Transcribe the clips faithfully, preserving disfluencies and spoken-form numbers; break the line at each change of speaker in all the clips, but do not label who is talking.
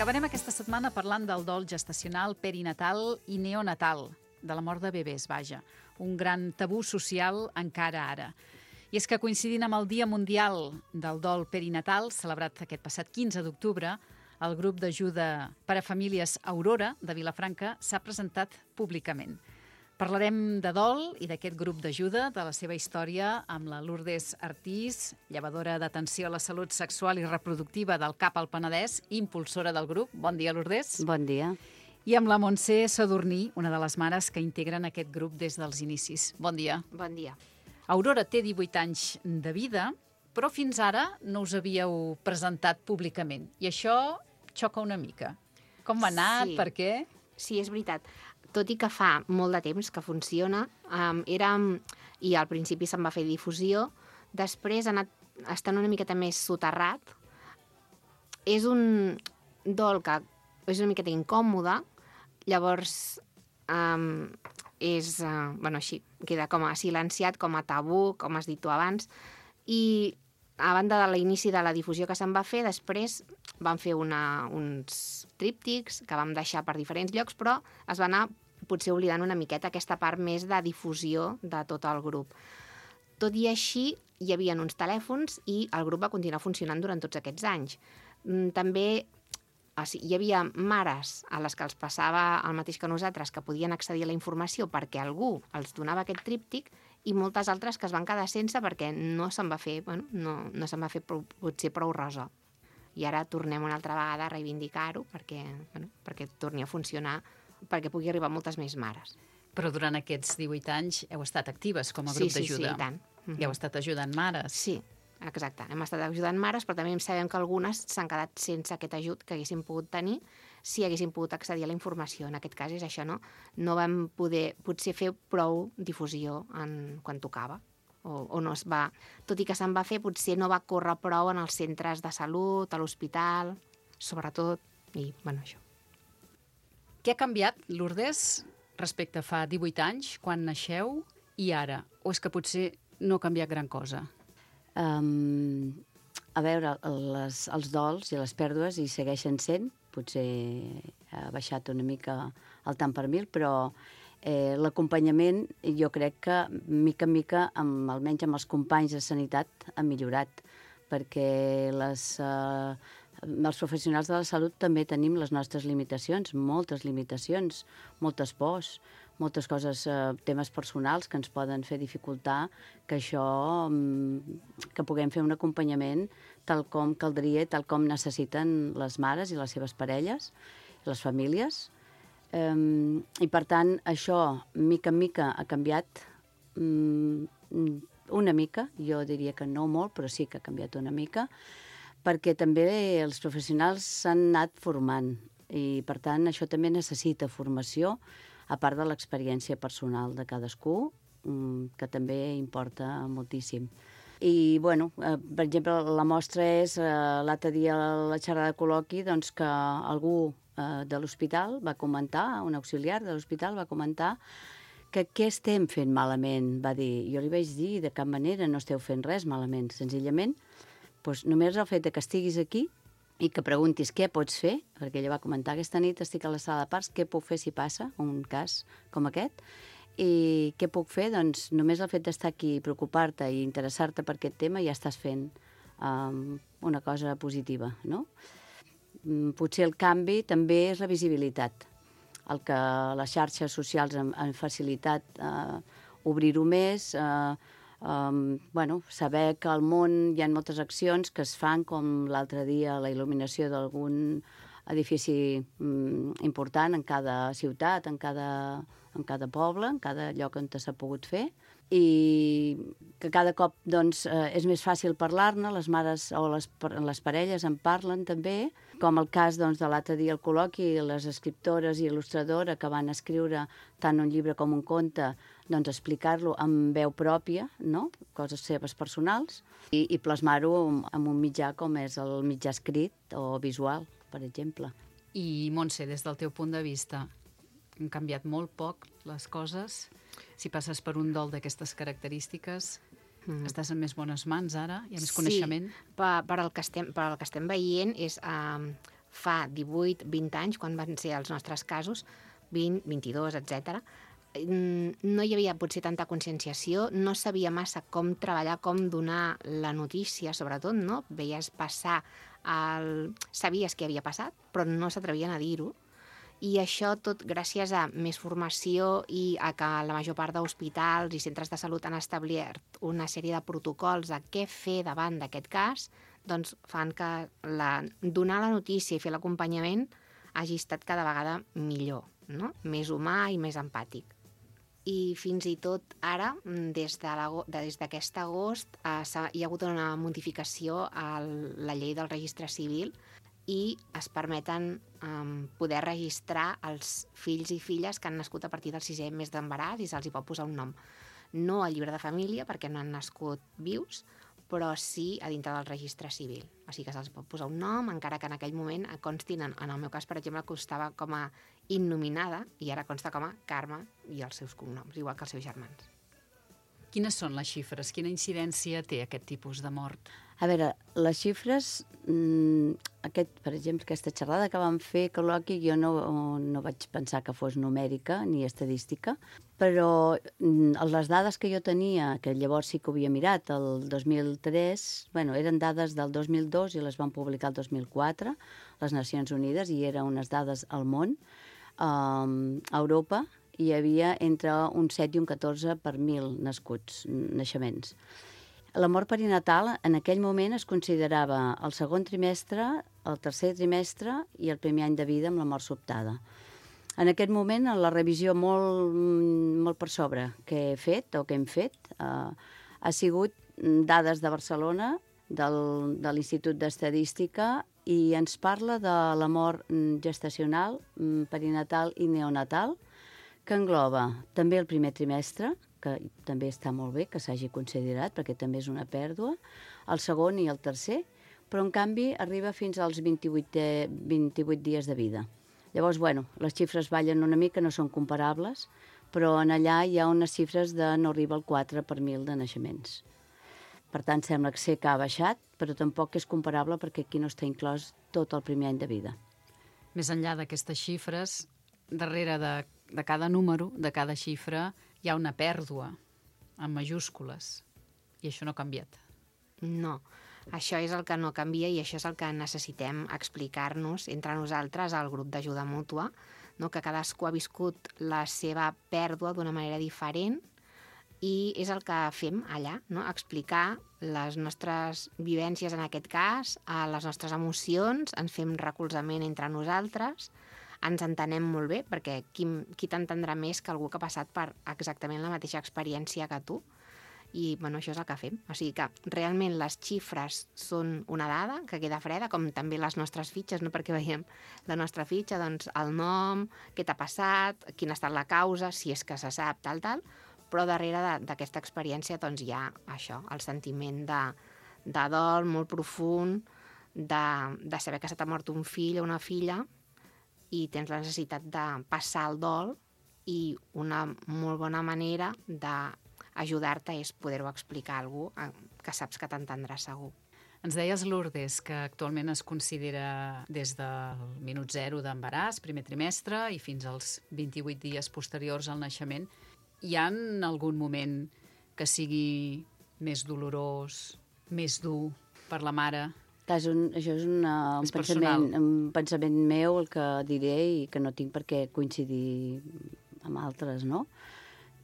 Acabarem aquesta setmana parlant del dol gestacional, perinatal i neonatal, de la mort de bebès, vaja. Un gran tabú social encara ara. I és que coincidint amb el Dia Mundial del Dol Perinatal, celebrat aquest passat quinze d'octubre, el grup d'ajuda per a famílies Aurora de Vilafranca s'ha presentat públicament. Parlarem de dol i d'aquest grup d'ajuda, de la seva història, amb la Lourdes Artís, llevadora d'atenció a la salut sexual i reproductiva del C A P al Penedès, impulsora del grup. Bon dia, Lourdes.
Bon dia.
I amb la Montse Sadurní, una de les mares que integren aquest grup des dels inicis. Bon dia.
Bon dia.
Aurora té divuit anys de vida, però fins ara no us havíeu presentat públicament. I això xoca una mica. Com ha anat?
Sí.
Per què?
Sí, és veritat. Tot i que fa molt de temps que funciona, um, érem, i al principi se'n va fer difusió, després ha anat estant una miqueta més soterrat. És un dol que és una miqueta incòmode, llavors um, és, uh, bueno, així, queda com a silenciat, com a tabú, com has dit tu abans, i a banda de l'inici de la difusió que se'n va fer, després vam fer una, uns tríptics que vam deixar per diferents llocs, però es va anar potser oblidant una miqueta aquesta part més de difusió de tot el grup. Tot i així, hi havia uns telèfons i el grup va continuar funcionant durant tots aquests anys. També o sigui, hi havia mares a les que els passava el mateix que nosaltres, que podien accedir a la informació perquè algú els donava aquest tríptic, i moltes altres que es van quedar sense perquè no se'n va fer, bueno, no, no se'n va fer prou, potser prou ressò. I ara tornem una altra vegada a reivindicar-ho perquè, bueno, perquè torni a funcionar, perquè pugui arribar a moltes més mares.
Però durant aquests divuit anys heu estat actives com a grup
sí, sí,
d'ajuda.
Sí, sí, i tant.
Mm-hmm. I heu estat ajudant mares.
Sí, exacte. Hem estat ajudant mares, però també sabem que algunes s'han quedat sense aquest ajut que haguessin pogut tenir si haguessin pogut accedir a la informació. En aquest cas és això, no? No vam poder potser fer prou difusió en, quan tocava. O, o no es va... Tot i que se'n va fer, potser no va córrer prou en els centres de salut, a l'hospital, sobretot, i, bueno, això.
Què ha canviat, Lourdes, respecte a fa divuit anys, quan naixeu, i ara? O és que potser no ha canviat gran cosa?
Um, a veure, les, els dols i les pèrdues hi segueixen sent. Potser ha baixat una mica el tant per mil, però eh, l'acompanyament jo crec que mica en mica, amb, almenys amb els companys de sanitat, ha millorat, perquè les... Eh, els professionals de la salut també tenim les nostres limitacions, moltes limitacions, moltes pors, moltes coses, eh, temes personals que ens poden fer dificultar que això, que puguem fer un acompanyament tal com caldria, tal com necessiten les mares i les seves parelles, les famílies. Eh, I per tant, això, mica en mica, ha canviat mm, una mica, jo diria que no molt, però sí que ha canviat una mica, perquè també els professionals s'han anat formant i, per tant, això també necessita formació, a part de l'experiència personal de cadascú, que també importa moltíssim. I, bueno, per exemple, la mostra és, l'altre dia a la xerrada de col·loqui, doncs que algú de l'hospital va comentar, un auxiliar de l'hospital va comentar que què estem fent malament, va dir. Jo li vaig dir, de cap manera no esteu fent res malament, senzillament, doncs només el fet que estiguis aquí i que preguntis què pots fer, perquè ella va comentar aquesta nit estic a la sala de parts, què puc fer si passa un cas com aquest, i què puc fer? Doncs només el fet d'estar aquí, preocupar-te i interessar-te per aquest tema ja estàs fent um, una cosa positiva, no? Potser el canvi també és la visibilitat, el que les xarxes socials han, han facilitat uh, obrir-ho més, uh, Um, bueno, saber que al món hi ha moltes accions que es fan, com l'altre dia la il·luminació d'algun edifici um, important en cada ciutat, en cada, en cada poble, en cada lloc on s'ha pogut fer, i que cada cop doncs, eh, és més fàcil parlar-ne, les mares o les, les parelles en parlen també, com el cas doncs, de l'altre dia al col·loqui, les escriptores i il·lustradora que van escriure tant un llibre com un conte, doncs explicar-lo amb veu pròpia, no? Coses seves personals, i, i plasmar-ho en un mitjà com és el mitjà escrit o visual, per exemple.
I, Montse, des del teu punt de vista, han canviat molt poc les coses? Si passes per un dol d'aquestes característiques, mm. estàs en més bones mans ara? Hi ha més
sí,
coneixement?
Sí, per, per, el que estem, per el que estem veient és... Uh,
fa divuit, vint anys, quan van ser els nostres casos, vint, vint-i-dos, etcètera, no hi havia potser tanta conscienciació, no sabia massa com treballar, com donar la notícia, sobretot, no? Veies passar, el... sabies què havia passat, però no s'atrevien a dir-ho. I això tot gràcies a més formació i a que la major part d'hospitals i centres de salut han establert una sèrie de protocols de què fer davant d'aquest cas, doncs fan que la... donar la notícia i fer l'acompanyament hagi estat cada vegada millor, no? Més humà i més empàtic. I fins i tot ara, des d'aquest agost, eh, hi ha hagut una modificació a la llei del registre civil i es permeten eh, poder registrar els fills i filles que han nascut a partir del sisè mes d'embaràs i se'ls hi pot posar un nom. No al llibre de família, perquè no han nascut vius, però sí a dintre del registre civil. O sigui que se'ls pot posar un nom, encara que en aquell moment constin, en, en el meu cas, per exemple, constava com a innominada i ara consta com a Carme i els seus cognoms, igual que els seus germans.
Quines són les xifres? Quina incidència té aquest tipus de mort?
A veure, les xifres, mmm, aquest, per exemple, aquesta xerrada que vam fer, col·loqui, jo no, no vaig pensar que fos numèrica ni estadística, però mm, les dades que jo tenia, que llavors sí que ho havia mirat, el dos mil tres, bueno, eren dades del dos mil dos i les van publicar el dos mil quatre, les Nacions Unides, i eren unes dades al món. Um, a Europa hi havia entre un set i un catorze per mil nascuts, naixements. La mort perinatal en aquell moment es considerava el segon trimestre, el tercer trimestre i el primer any de vida amb la mort sobtada. En aquest moment, la revisió molt, molt per sobre que he fet o que hem fet eh, ha sigut dades de Barcelona, del, de l'Institut d'Estadística, i ens parla de la mort gestacional, perinatal i neonatal, que engloba també el primer trimestre, que també està molt bé que s'hagi considerat, perquè també és una pèrdua, el segon i el tercer, però en canvi arriba fins als vint-i-vuit, vint-i-vuit dies de vida. Llavors, bueno, les xifres ballen una mica, no són comparables, però en allà hi ha unes xifres de no arriba al quatre per mil de naixements. Per tant, sembla que sé que ha baixat, però tampoc és comparable perquè aquí no està inclòs tot el primer any de vida.
Més enllà d'aquestes xifres, darrere de, de cada número, de cada xifra, hi ha una pèrdua en majúscules, i això no ha canviat.
No, això és el que no canvia i això és el que necessitem explicar-nos entre nosaltres al grup d'ajuda mútua, no? Que cadascú ha viscut la seva pèrdua d'una manera diferent i és el que fem allà, no? Explicar les nostres vivències en aquest cas, les nostres emocions, ens fem recolzament entre nosaltres, ens entenem molt bé, perquè qui, qui t'entendrà més que algú que ha passat per exactament la mateixa experiència que tu. I bueno, això és el que fem. O sigui que realment les xifres són una dada que queda freda, com també les nostres fitxes, no? Perquè veiem la nostra fitxa, doncs el nom, què t'ha passat, quina ha estat la causa, si és que se sap, tal, tal, però darrere d'aquesta experiència doncs hi ha això, el sentiment de, de dol molt profund, de, de saber que se t'ha mort un fill o una filla, i tens la necessitat de passar el dol i una molt bona manera d'ajudar-te és poder-ho explicar a algú que saps que t'entendrà segur.
Ens deies, Lourdes, que actualment es considera des del minut zero d'embaràs, primer trimestre, i fins als vint-i-vuit dies posteriors al naixement. Hi ha algun moment que sigui més dolorós, més dur per la mare?
És un, això és, una, un,
és
pensament, un pensament meu, el que diré, i que no tinc per què coincidir amb altres, no?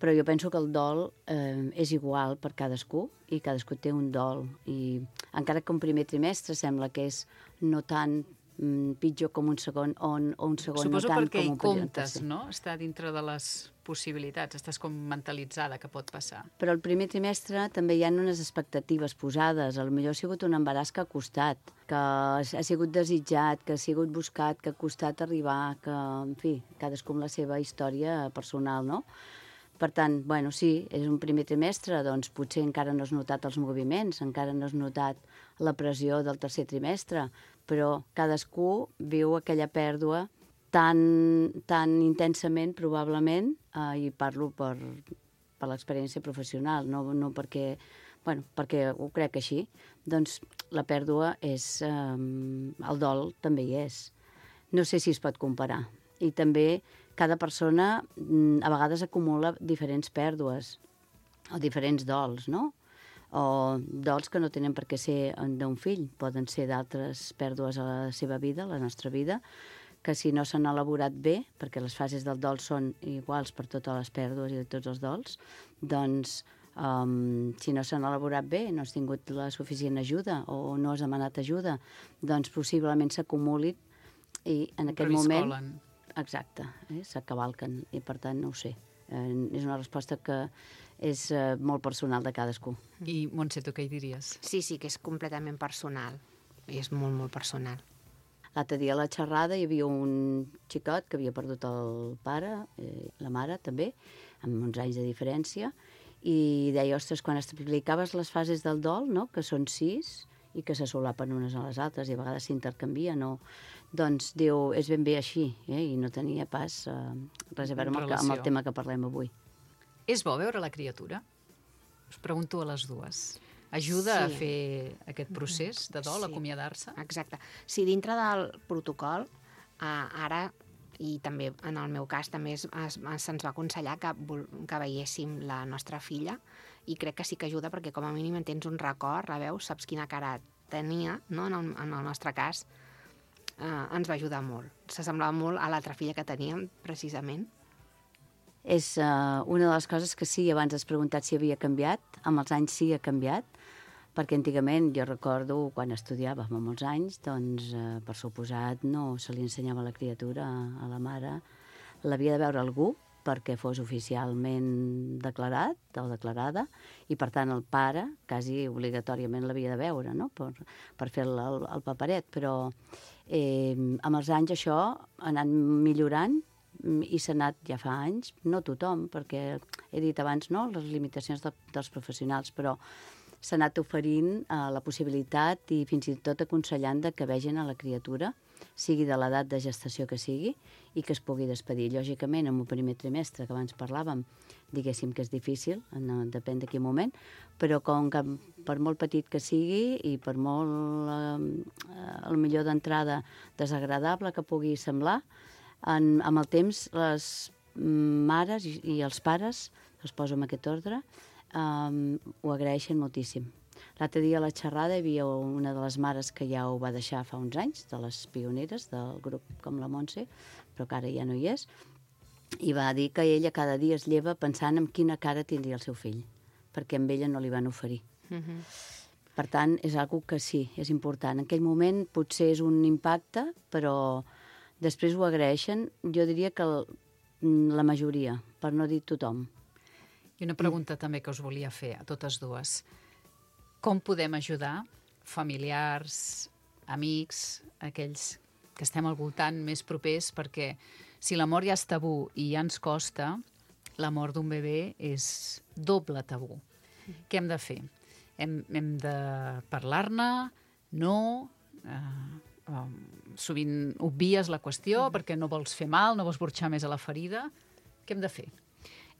Però jo penso que el dol eh, és igual per cadascú i cadascú té un dol. I encara que un primer trimestre sembla que és no tan mm, pitjor com un segon o un, o un segon
Suposo
no tant
perquè
com un
hi comptes,
tercer.
no? Està dintre de les possibilitats, estàs com mentalitzada que pot passar.
Però el primer trimestre també hi ha unes expectatives posades. A lo millor ha sigut un embaràs que ha costat, que ha sigut desitjat, que ha sigut buscat, que ha costat arribar, que, en fi, cadascú amb la seva història personal, no? Per tant, bueno, sí, és un primer trimestre, doncs potser encara no has notat els moviments, encara no has notat la pressió del tercer trimestre, però cadascú viu aquella pèrdua tan, tan intensament, probablement, eh, i parlo per, per l'experiència professional, no, no perquè, bueno, perquè ho crec així, doncs la pèrdua és... Eh, el dol també hi és. no sé si es pot comparar. I també cada persona mm, a vegades acumula diferents pèrdues o diferents dols, no? O dols que no tenen per què ser d'un fill, poden ser d'altres pèrdues a la seva vida, a la nostra vida, que si no s'han elaborat bé, perquè les fases del dol són iguals per totes les pèrdues i tots els dols, doncs um, si no s'han elaborat bé, no has tingut la suficient ajuda o no has demanat ajuda, doncs possiblement s'acumulin i en aquell moment... Exacte, eh, s'acavalquen i per tant no ho sé. Eh, és una resposta que és eh, molt personal de cadascú.
I Montse, tu què hi diries?
Sí, sí, que és completament personal. És molt, molt personal.
L'altre dia a la xerrada hi havia un xicot que havia perdut el pare, eh, la mare també, amb uns anys de diferència, i deia, ostres, quan explicaves les fases del dol, no?, que són sis i que se solapen unes a les altres i a vegades s'intercanvien, no? Doncs diu, és ben bé així, eh? I no tenia pas eh, res a veure amb el, amb el tema que parlem avui.
És bo veure la criatura? Us pregunto a les dues. Ajuda sí. a fer aquest procés de dol, sí. acomiadar-se?
Exacte. Si dintre del protocol, eh, ara, i també en el meu cas, també es, es, se'ns va aconsellar que, que veiéssim la nostra filla, i crec que sí que ajuda perquè com a mínim en tens un record, la veus, saps quina cara tenia, no? En, el, en el nostre cas, eh, ens va ajudar molt. S'assemblava molt a l'altra filla que teníem, precisament.
És uh, una de les coses que sí, abans has preguntat si havia canviat, amb els anys sí ha canviat, perquè antigament, jo recordo, quan estudiava fa molts anys, doncs, eh, per suposat, no se li ensenyava a la criatura, a la mare, l'havia de veure algú perquè fos oficialment declarat o declarada, i per tant el pare quasi obligatòriament l'havia de veure, no?, per, per fer el, el, el paperet, però eh, amb els anys això ha anat millorant i s'ha anat ja fa anys, no tothom, perquè he dit abans, no?, les limitacions de, dels professionals, però s'ha anat oferint eh, la possibilitat i fins i tot aconsellant de que vegin a la criatura, sigui de l'edat de gestació que sigui, i que es pugui despedir. Lògicament, en un primer trimestre, que abans parlàvem, diguéssim que és difícil, no, depèn de quin moment, però com que per molt petit que sigui i per molt, eh, el millor d'entrada desagradable que pugui semblar, en, amb el temps les mares i, i els pares, els poso en aquest ordre, Um, ho agraeixen moltíssim. L'altre dia a la xerrada hi havia una de les mares que ja ho va deixar fa uns anys, de les pioneres del grup com la Montse, però que ara ja no hi és, i va dir que ella cada dia es lleva pensant en quina cara tindria el seu fill, perquè amb ella no li van oferir. Uh-huh. Per tant, és algo que sí, és important. En aquell moment potser és un impacte, però després ho agraeixen, jo diria que el, la majoria, per no dir tothom.
I una pregunta també que us volia fer a totes dues. Com podem ajudar familiars, amics, aquells que estem al voltant més propers, perquè si la mort ja és tabú i ja ens costa, la mort d'un bebè és doble tabú. Què hem de fer? Hem, hem de parlar-ne? No? Eh, eh, sovint obvies la qüestió perquè no vols fer mal, no vols burxar més a la ferida. Què hem de fer?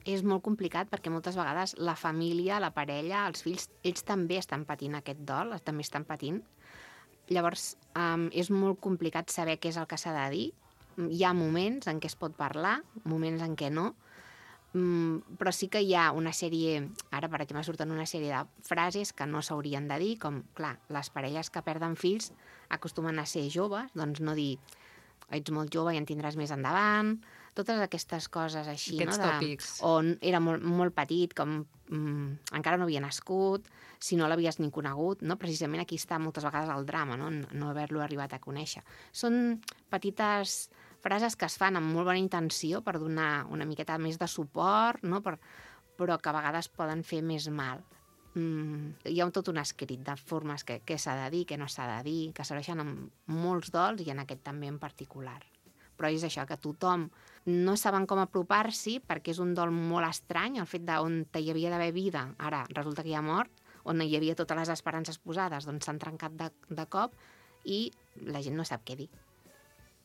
És molt complicat perquè moltes vegades la família, la parella, els fills, ells també estan patint aquest dol, també estan patint. Llavors, um, és molt complicat saber què és el que s'ha de dir. Hi ha moments en què es pot parlar, moments en què no, um, però sí que hi ha una sèrie, ara per exemple surten una sèrie de frases que no s'haurien de dir, com, clar, les parelles que perden fills acostumen a ser joves, doncs no dir ets molt jove i en tindràs més endavant, totes aquestes coses així,
aquests
no? De,
tòpics.
O era molt, molt petit, com mm, encara no havia nascut, si no l'havies ni conegut, no? Precisament aquí està moltes vegades el drama, no, no haver-lo arribat a conèixer. Són petites frases que es fan amb molt bona intenció per donar una miqueta més de suport, no? Per, però que a vegades poden fer més mal. Mm, hi ha tot un escrit de formes que, que s'ha de dir, que no s'ha de dir, que serveixen en molts dols i en aquest també en particular. Però és això, que tothom no saben com apropar-s'hi perquè és un dol molt estrany, el fet d'on hi havia d'haver vida, ara resulta que hi ha mort, on hi havia totes les esperances posades, doncs s'han trencat de, de cop i la gent no sap què dir.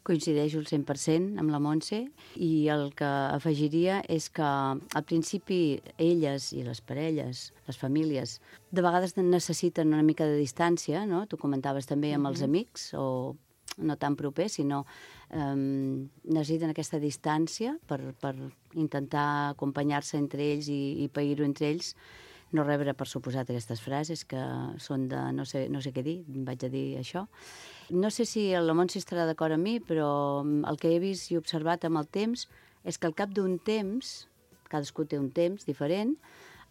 Coincideixo al cent per cent amb la Montse i el que afegiria és que al principi elles i les parelles, les famílies, de vegades necessiten una mica de distància, no? Tu comentaves també amb els amics o no tan proper, sinó eh, necessiten aquesta distància per, per intentar acompanyar-se entre ells i, i pair-ho entre ells, no rebre per suposat aquestes frases que són de no sé, no sé què dir, vaig a dir això. No sé si la Montse estarà d'acord amb mi, però el que he vist i observat amb el temps és que al cap d'un temps, cadascú té un temps diferent,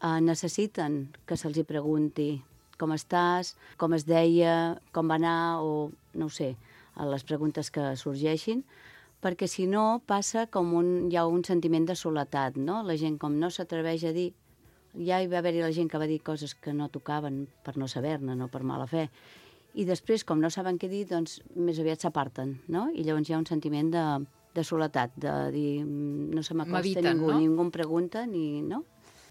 eh, necessiten que se'ls hi pregunti com estàs, com es deia, com va anar, o no ho sé, les preguntes que sorgeixin, perquè si no passa com un, hi ha un sentiment de soledat, no? La gent com no s'atreveix a dir, ja hi va haver-hi la gent que va dir coses que no tocaven per no saber-ne, no per mala fe, i després, com no saben què dir, doncs més aviat s'aparten, no? I llavors hi ha un sentiment de, de soledat, de dir, no se m'acosta ningú,
no?
ningú em pregunta, ni, no?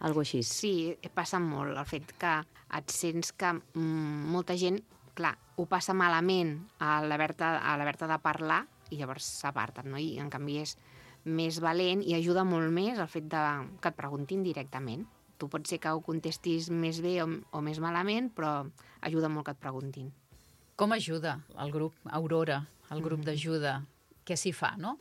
Algo així.
Sí, passa molt el fet que et sents que mm, molta gent, clar, ho passa malament a l'haver-te de parlar i llavors s'aparten, no? I en canvi és més valent i ajuda molt més el fet de, que et preguntin directament. Tu pot ser que ho contestis més bé o, o més malament, però ajuda molt que et preguntin.
Com ajuda el grup Aurora, el grup d'ajuda? Què s'hi fa, no?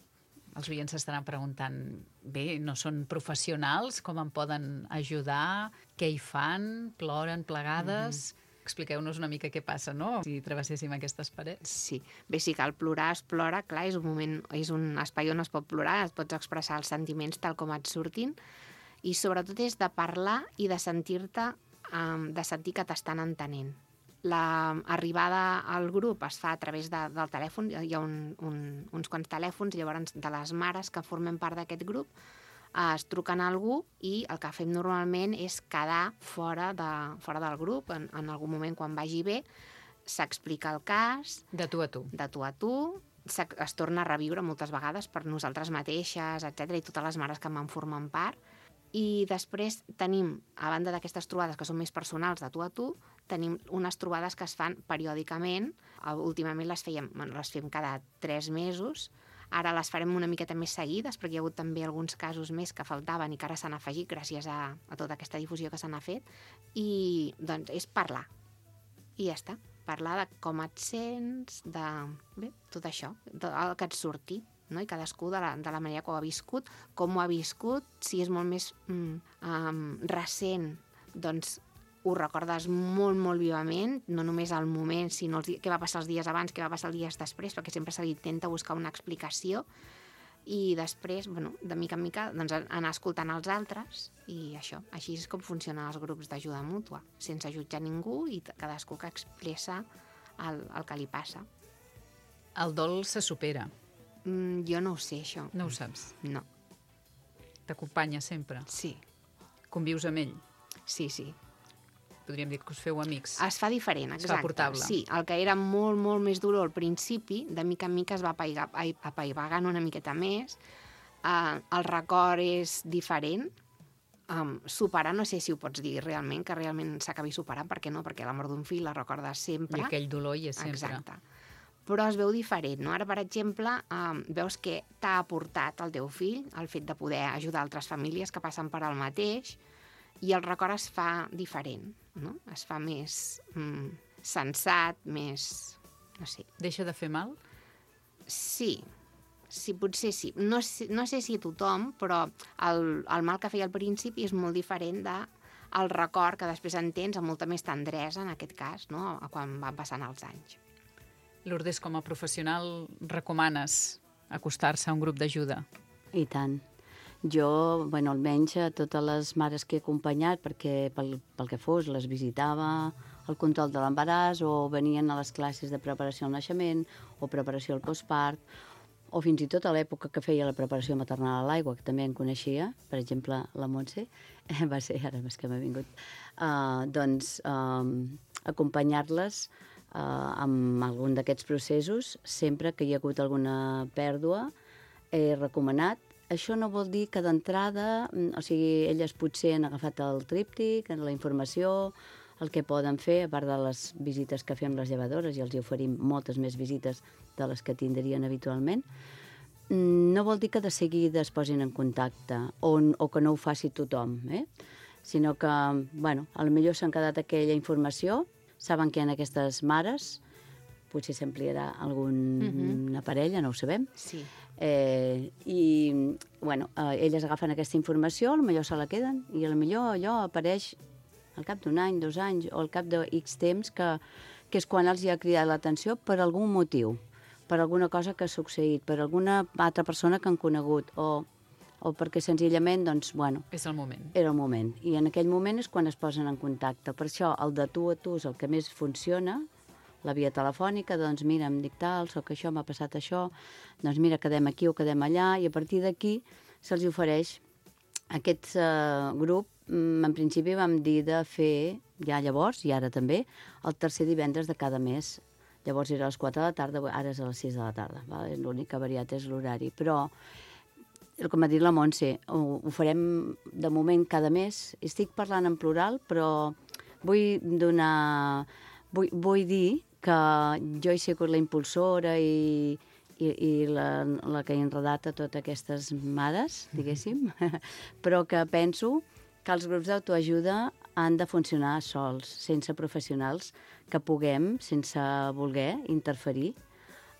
Els oients s'estaran preguntant, bé, no són professionals, com em poden ajudar? Què hi fan? Ploren plegades? Mm-hmm. Expliqueu-nos una mica què passa, no?, si travesséssim aquestes parets.
Sí, bé, si cal plorar, es plora, clar, és un moment, és un espai on es pot plorar, es pots expressar els sentiments tal com et surtin, i sobretot és de parlar i de sentir-te, um, de sentir que t'estan entenent. L'arribada al grup es fa a través de, del telèfon, hi ha un, un, uns quants telèfons, llavors de les mares que formen part d'aquest grup eh, es truquen a algú i el que fem normalment és quedar fora, de, fora del grup, en, en algun moment quan vagi bé, s'explica el cas...
De tu a tu.
De tu a tu, es torna a reviure moltes vegades per nosaltres mateixes, etcètera, i totes les mares que en formen part. I després tenim, a banda d'aquestes trobades que són més personals de tu a tu, tenim unes trobades que es fan periòdicament. Últimament les fèiem, bueno, les fem cada tres mesos. Ara les farem una miqueta més seguides, perquè hi ha hagut també alguns casos més que faltaven i que ara s'han afegit gràcies a, a tota aquesta difusió que se n'ha fet. I doncs és parlar. I ja està. Parlar de com et sents, de bé, tot això, el que et surti. No? I cadascú de la, de la manera que ho ha viscut, com ho ha viscut, si és molt més mm, um, recent, doncs ho recordes molt, molt vivament, no només al moment, sinó els, què va passar els dies abans, què va passar els dies després, perquè sempre se li intenta buscar una explicació, i després, bueno, de mica en mica, doncs, anar escoltant els altres, i això, així és com funcionen els grups d'ajuda mútua, sense jutjar ningú i cadascú que expressa el, el que li passa.
El dol se supera.
Mm, jo no ho sé, això.
No ho saps?
No.
T'acompanya sempre?
Sí.
Convius amb ell?
Sí, sí.
Podríem dir que us feu amics.
Es fa diferent, exacte.
Es fa portable.
Sí, el que era molt, molt més dur al principi, de mica en mica es va apaivagant una miqueta més. Uh, el record és diferent. Um, superar, no sé si ho pots dir realment, que realment s'acabi superant, perquè no, perquè la mort d'un fill la recordes sempre.
I aquell dolor hi és sempre.
Exacte. Però es veu diferent, no? Ara, per exemple, eh, veus que t'ha aportat el teu fill el fet de poder ajudar altres famílies que passen per al mateix, i el record es fa diferent, no? Es fa més mm, sensat, més... no sé.
Deixa de fer mal?
Sí, sí, potser sí. No, no sé si a tothom, però el, el mal que feia al principi és molt diferent de el record que després en tens amb molta més tendresa, en aquest cas, no? Quan van passant els anys.
Lourdes, com a professional, recomanes acostar-se a un grup d'ajuda?
I tant. Jo, bueno, almenys a totes les mares que he acompanyat, perquè pel, pel que fos, les visitava el control de l'embaràs, o venien a les classes de preparació al naixement, o preparació al postpart, o fins i tot a l'època que feia la preparació maternal a l'aigua, que també en coneixia, per exemple, la Montse, va ser, ara més que m'ha vingut, uh, doncs uh, acompanyar-les Uh, amb algun d'aquests processos, sempre que hi ha hagut alguna pèrdua, he recomanat. Això no vol dir que d'entrada, o sigui, elles potser han agafat el tríptic, la informació, el que poden fer, a part de les visites que fem les llevadores, i els hi oferim moltes més visites de les que tindrien habitualment, no vol dir que de seguida es posin en contacte, o, o que no ho faci tothom, eh? Sinó que, bueno, potser s'han quedat aquella informació, saben que hi ha aquestes mares, potser s'ampliarà alguna
Mhm.
parella, no ho sabem.
Sí.
Eh, I, bueno, eh, elles agafen aquesta informació, potser se la queden, i potser allò apareix al cap d'un any, dos anys, o al cap de X temps, que, que és quan els hi ha cridat l'atenció per algun motiu, per alguna cosa que ha succeït, per alguna altra persona que han conegut, o, o perquè senzillament, doncs, bueno,
És el moment.
era el moment. I en aquell moment és quan es posen en contacte. Per això, el de tu a tu és el que més funciona, la via telefònica, doncs mira, em dic tal, soc això, m'ha passat això, doncs mira, quedem aquí o quedem allà, i a partir d'aquí se'ls ofereix aquest uh, grup. En principi vam dir de fer, ja llavors, i ara també, el tercer divendres de cada mes. Llavors era a les quatre de la tarda, ara és a les sis de la tarda. Val? L'únic que ha variat és l'horari. Però, com ha dit la Montse, ho, ho farem de moment cada mes. Estic parlant en plural, però vull donar... Vull, vull dir que jo he sigut la impulsora i, i, i la, la que he enredat a totes aquestes mares, diguéssim, però que penso que els grups d'autoajuda han de funcionar sols, sense professionals, que puguem, sense voler, interferir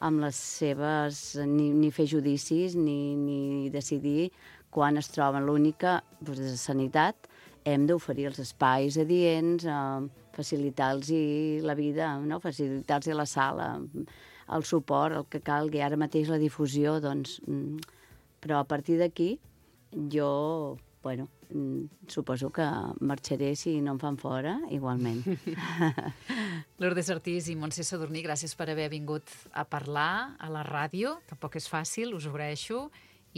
amb les seves... ni, ni fer judicis, ni, ni decidir quan es troben. L'única, doncs, de sanitat, hem d'oferir els espais adients, eh, facilitar-los la vida, no? Facilitar-los la sala, el suport, el que calgui. Ara mateix la difusió, doncs... Però a partir d'aquí, jo, bueno, suposo que marxaré si no em fan fora, igualment.
Lourdes Ortiz i Montse Sadurní, gràcies per haver vingut a parlar a la ràdio. Tampoc és fàcil, us ho agraeixo.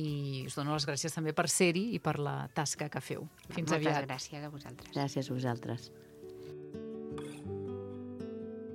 I us dono les gràcies també per ser-hi i per la tasca que feu. Fins
Moltes
aviat.
gràcies a vosaltres.
Gràcies a vosaltres.